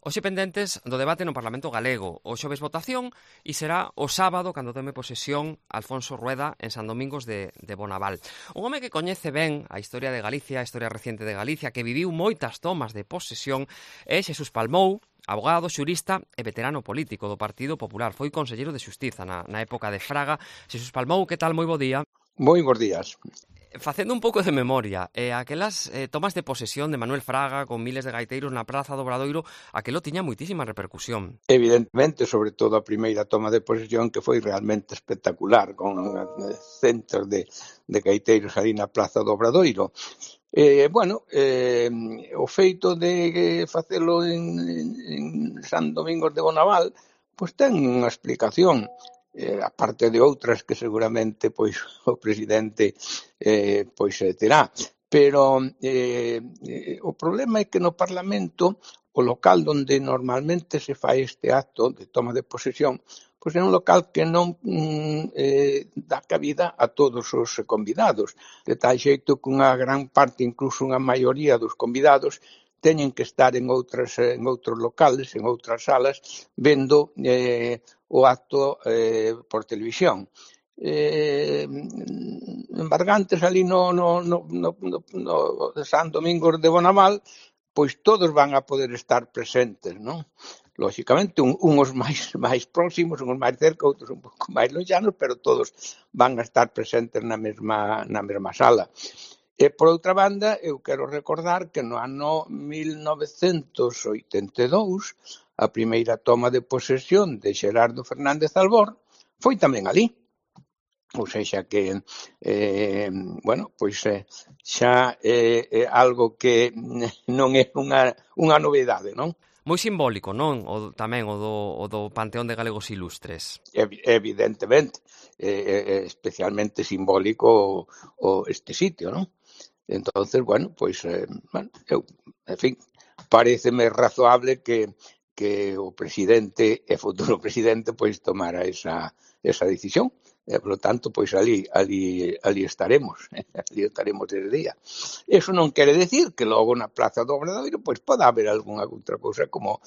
Hoxe pendentes do debate no Parlamento galego. O xoves votación e será o sábado cando tome posesión Alfonso Rueda en San Domingos de Bonaval. Un home que coñece ben a historia de Galicia, a historia reciente de Galicia, que viviu moitas tomas de posesión, é Xesús Palmou, abogado, xurista e veterano político do Partido Popular. Foi conselleiro de Xustiza na época de Fraga. Xesús Palmou, que tal? Moi bo día. Moi bons días. Facendo un pouco de memoria, aquelas tomas de posesión de Manuel Fraga con miles de gaiteiros na Praza do Obradoiro, aquelo tiña moitísima repercusión. Evidentemente, sobre todo a primeira toma de posesión, que foi realmente espectacular, con centros de gaiteiros ali na Praza do Obradoiro. O feito de facelo en San Domingos de Bonaval, pois ten unha explicación. Aparte de outras que seguramente pois o presidente terá. Pero o problema é que no Parlamento o local onde normalmente se fai este acto de toma de posesión pois é un local que non dá cabida a todos os convidados, de tal xeito que unha gran parte, incluso unha maioría dos convidados, teñen que estar en outros locales, en outras salas, vendo o acto por televisión. Embargantes ali no San Domingos de Bonaval, pois todos van a poder estar presentes, non? Lóxicamente, uns máis próximos, uns máis cerca, outros un pouco máis lonxanos, pero todos van a estar presentes na mesma sala. E, por outra banda, eu quero recordar que no ano 1982, a primeira toma de posesión de Xerardo Fernández Albor foi tamén ali. Ou seja que, xa é algo que non é unha novedade, non? Moi simbólico, non? Tamén o do Panteón de Galegos Ilustres. Evidentemente, especialmente simbólico este sitio, non? Entonces, en fin, pareceme razoable que o presidente e futuro presidente pois tomara esa decisión. Por lo tanto, pois ali estaremos, ali estaremos ese día. Eso non quere decir que logo na Praza do Obradoiro pois poda haber algunha outra cousa como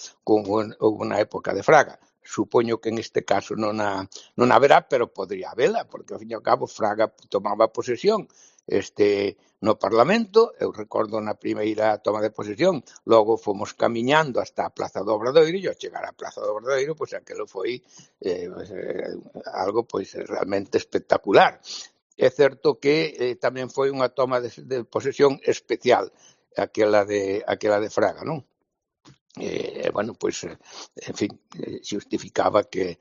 na época de Fraga. Supoño que en este caso non haberá, pero podría habela, porque ao fin e ao cabo Fraga tomaba posesión no Parlamento. Eu recordo na primeira toma de posesión, logo fomos camiñando hasta a Praza do Obradoiro, e ao chegar á Praza do Obradoiro, pois aquilo foi algo pois realmente espectacular. É certo que tamén foi unha toma de posesión especial, aquela de Fraga, non? En fin, justificaba que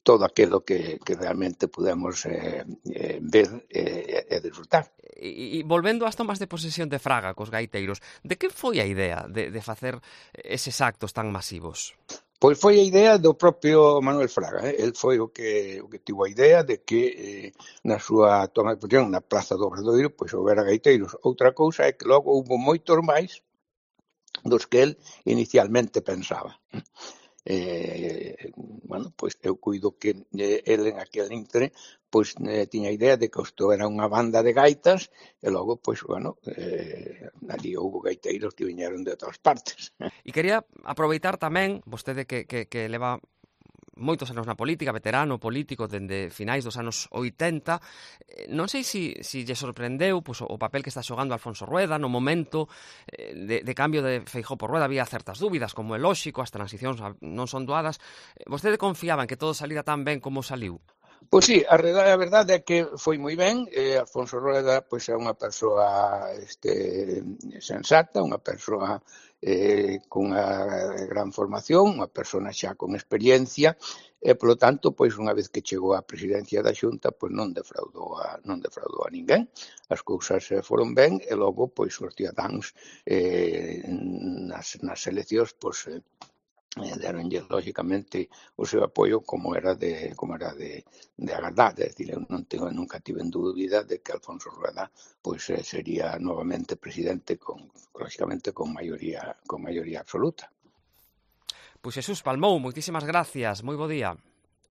todo aquilo que realmente pudemos ver e disfrutar. E volvendo ás tomas de posesión de Fraga cos gaiteiros, de que foi a idea de facer eses actos tan masivos? Pois foi a idea do propio Manuel Fraga. El foi o que tivo a idea de que na súa toma de posesión na Praza do Obradoiro pois houbera gaiteiros. Outra cousa é que logo houbo moitos máis dos que el inicialmente pensaba. Pois eu cuido que el en aquel intre pois tiña a idea de que isto era unha banda de gaitas e logo, ali houbo gaiteiros que viñeron de outras partes. E quería aproveitar tamén, vostede que leva moitos anos na política, veterano político dende finais dos anos 80, non sei se lle sorprendeu pois, o papel que está xogando Alfonso Rueda no momento de cambio de Feijóo por Rueda. Había certas dúbidas, como é lóxico, as transicións non son doadas. Vostede confiaba en que todo salira tan ben como saliu? Pois sí, a verdade é que foi moi ben. Alfonso Rueda pois é unha persoa sensata, unha persoa con unha gran formación, unha persona xa con experiencia, e, polo tanto, pois unha vez que chegou á presidencia da Xunta, pois non defraudou a ninguén. As cousas foron ben e logo, pois, os cidadáns nas eleccións, pois, deronlle, lógicamente, o seu apoio como era de agardar. É dicir, eu nunca tive dúbida de que Alfonso Rueda pois sería novamente presidente lógicamente con maioría absoluta. Pois Xesús Palmou, moitísimas gracias, moi bo día.